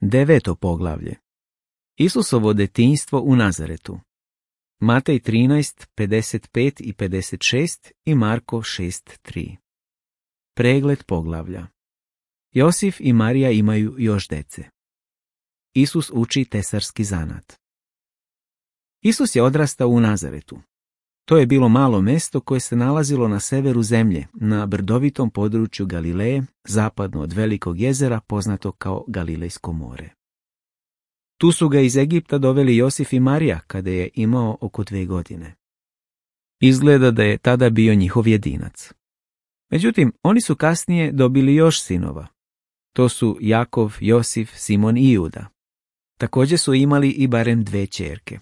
9. poglavlje. Isusovo detinjstvo u Nazaretu. Matej 13, 55 i 56 i Marko 6:3. Pregled poglavlja. Josif i Marija imaju još dece. Isus uči tesarski zanat. Isus je odrastao u Nazaretu. To je bilo malo mesto koje se nalazilo na severu zemlje, na brdovitom području Galileje, zapadno od velikog jezera poznatog kao Galilejsko more. Tu su ga iz Egipta doveli Josif i Marija kada je imao oko 2 godine. Izgleda da je tada bio njihov jedinac. Međutim, oni su kasnije dobili još sinova. To su Jakov, Josif, Simon i Juda. Također su imali i barem 2 ćerke.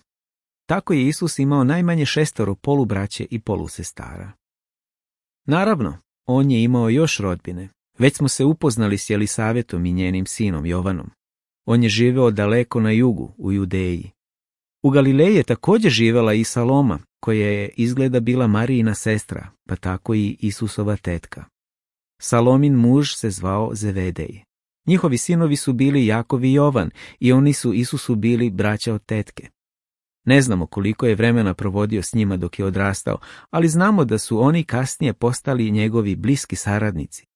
Tako je Isus imao najmanje 6 polubraće i polusestara. Naravno, on je imao još rodbine. Već smo se upoznali s Jelisavetom i njenim sinom Jovanom. On je živeo daleko na jugu, u Judeji. U Galileji je također živela i Saloma, koja je izgleda bila Marijina sestra, pa tako i Isusova tetka. Salomin muž se zvao Zevedej. Njihovi sinovi su bili Jakov i Jovan i oni su Isusu bili braća od tetke. Ne znamo koliko je vremena provodio s njima dok je odrastao, ali znamo da su oni kasnije postali njegovi bliski saradnici,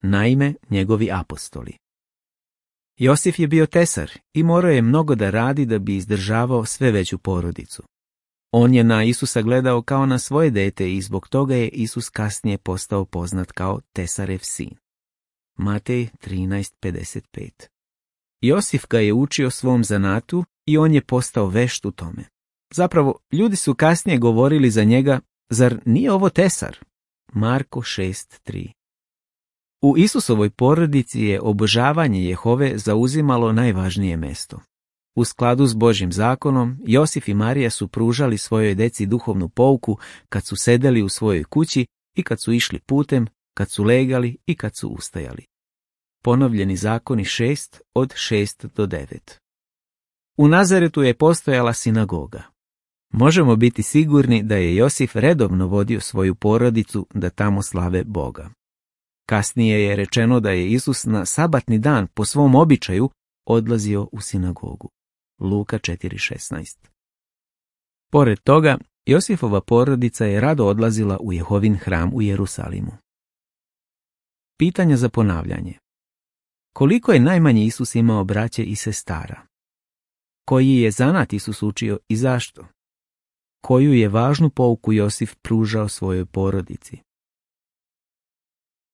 naime njegovi apostoli. Josif je bio tesar i morao je mnogo da radi da bi izdržavao sve veću porodicu. On je na Isusa gledao kao na svoje dete i zbog toga je Isus kasnije postao poznat kao tesarev sin. Matej 13:55. Josif ga je učio svom zanatu i on je postao vešt u tome. Zapravo, ljudi su kasnije govorili za njega, zar nije ovo tesar? Marko 6:3. U Isusovoj porodici je obožavanje Jehove zauzimalo najvažnije mesto. U skladu s Božjim zakonom, Josif i Marija su pružali svojoj deci duhovnu pouku kad su sedeli u svojoj kući i kad su išli putem, kad su legali i kad su ustajali. Ponovljeni zakoni 6 od 6 do 9. U Nazaretu je postojala sinagoga. Možemo biti sigurni da je Josif redovno vodio svoju porodicu da tamo slave Boga. Kasnije je rečeno da je Isus na sabatni dan po svom običaju odlazio u sinagogu. Luka 4:16. Pored toga, Josifova porodica je rado odlazila u Jehovin hram u Jerusalimu. Pitanja za ponavljanje. Koliko je najmanje Isus imao braće i sestara? Koji je zanat Isus učio i zašto? Koju je važnu pouku Josif pružao svojoj porodici?